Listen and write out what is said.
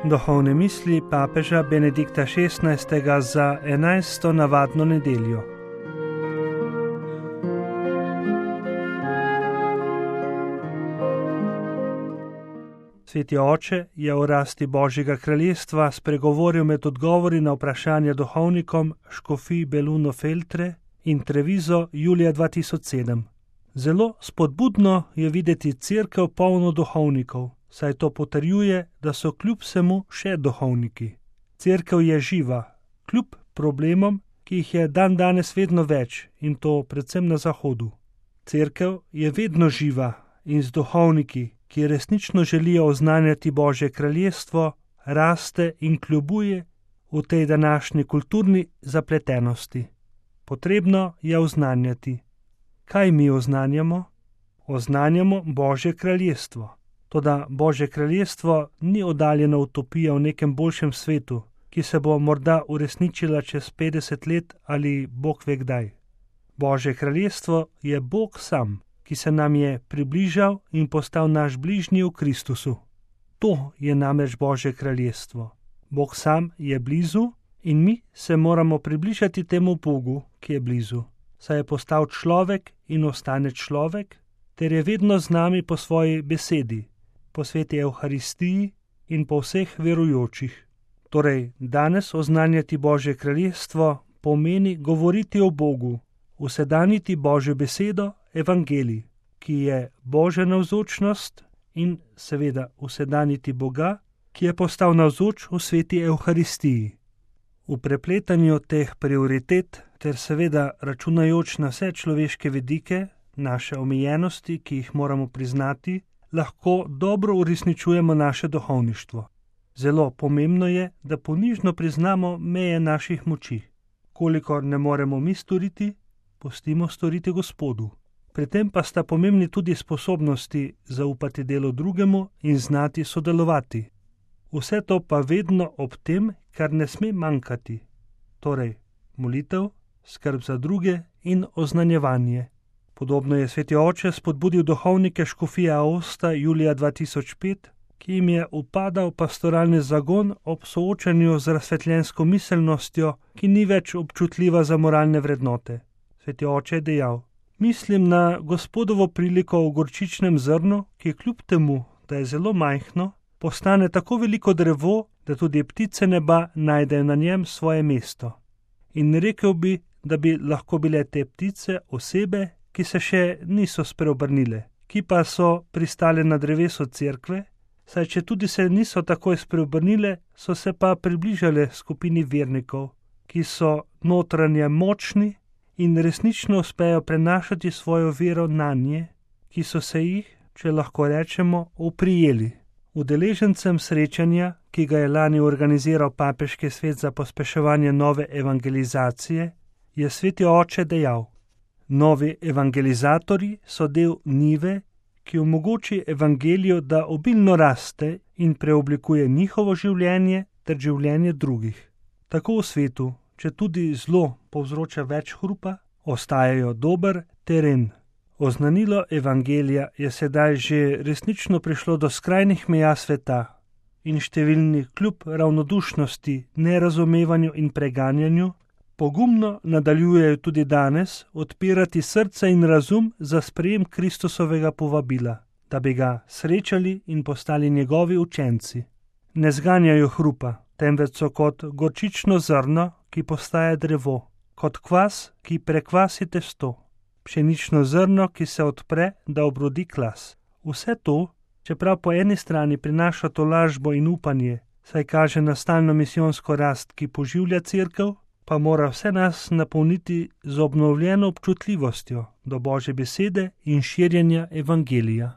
Duhovne misli papeža Benedikta XVI. Za 11. navadno nedeljo. Sveti oče je o rasti Božjega kraljestva spregovoril med odgovori na vprašanja duhovnikom škofij Belluno Feltre in Treviso julija 2007. Zelo spodbudno je videti cerkev polno duhovnikov, saj to potrjuje, da so kljub vsemu še duhovniki. Cerkev je živa, kljub problemom, ki jih je dandanes vedno več, in to predvsem na zahodu. Cerkev je vedno živa in z duhovniki, ki resnično želijo oznanjati Božje kraljestvo, raste in kljubuje v tej današnji kulturni zapletenosti. Potrebno je oznanjati. Kaj mi oznanjamo? Oznanjamo Božje kraljestvo. Toda Božje kraljestvo ni oddaljena utopija v nekem boljšem svetu, ki se bo morda uresničila čez 50 let ali Bog ve kdaj. Božje kraljestvo je Bog sam, ki se nam je približal in postal naš bližnji v Kristusu. To je namreč Božje kraljestvo. Bog sam je blizu in mi se moramo približati temu Bogu, ki je blizu, saj je postal človek in ostane človek, ter je vedno z nami po svoji besedi, po sveti Evharistiji in po vseh verujočih. Torej, danes oznanjati Božje kraljestvo pomeni govoriti o Bogu, usedaniti Božjo besedo, evangelij, ki je Božja navzočnost, in seveda usedaniti Boga, ki je postal navzoč v sveti Evharistiji. V prepletanju teh prioritet ter seveda računajoč na vse človeške vidike, naše omejenosti, ki jih moramo priznati, lahko dobro uresničujemo naše duhovništvo. Zelo pomembno je, da ponižno priznamo meje naših moči. Kolikor ne moremo mi storiti, pustimo storiti Gospodu. Pri tem pa sta pomembni tudi sposobnosti zaupati delu drugemu in znati sodelovati. Vse to pa vedno ob tem, kar ne sme manjkati. Torej, molitev, skrb za druge in oznanjevanje. Podobno je sveti oče spodbudil duhovnike škofije Aosta julija 2005, ki jim je upadal pastoralni zagon ob soočanju z razsvetljensko miselnostjo, ki ni več občutljiva za moralne vrednote. Sveti oče je dejal: mislim na Gospodovo priliko v gorčičnem zrnu, ki kljub temu, da je zelo majhno, postane tako veliko drevo, da tudi ptice neba najdejo na njem svoje mesto. In rekel bi, da bi lahko bile te ptice osebe, ki se še niso spreobrnile, ki pa so pristale na drevesu cerkve, saj če tudi se niso takoj spreobrnile, so se pa približale skupini vernikov, ki so notranje močni in resnično uspejo prenašati svojo vero na nje, ki so se jih, če lahko rečemo, oprijeli. Udeležencem srečanja, ki ga je lani organiziral Papeški svet za pospeševanje nove evangelizacije, je sveti oče dejal: novi evangelizatorji so del njive, ki omogoči evangelijo, da obilno raste in preoblikuje njihovo življenje ter življenje drugih. Tako v svetu, če tudi zlo povzroča več hrupa, ostajajo dober teren. Oznanilo evangelija je sedaj že resnično prišlo do skrajnih meja sveta in številni kljub ravnodušnosti, nerazumevanju in preganjanju pogumno nadaljujejo tudi danes odpirati srce in razum za sprejem Kristusovega povabila, da bi ga srečali in postali njegovi učenci. Ne zganjajo hrupa, temveč so kot gorčično zrno, ki postaja drevo, kot kvas, ki prekvasi testo, pšenično zrno, ki se odpre, da obrodi klas. Vse to, čeprav po eni strani prinaša tolažbo in upanje, saj kaže na stalno misijonsko rast, ki poživlja cerkev, pa mora vse nas napolniti z obnovljeno občutljivostjo do Božje besede in širjenja evangelija.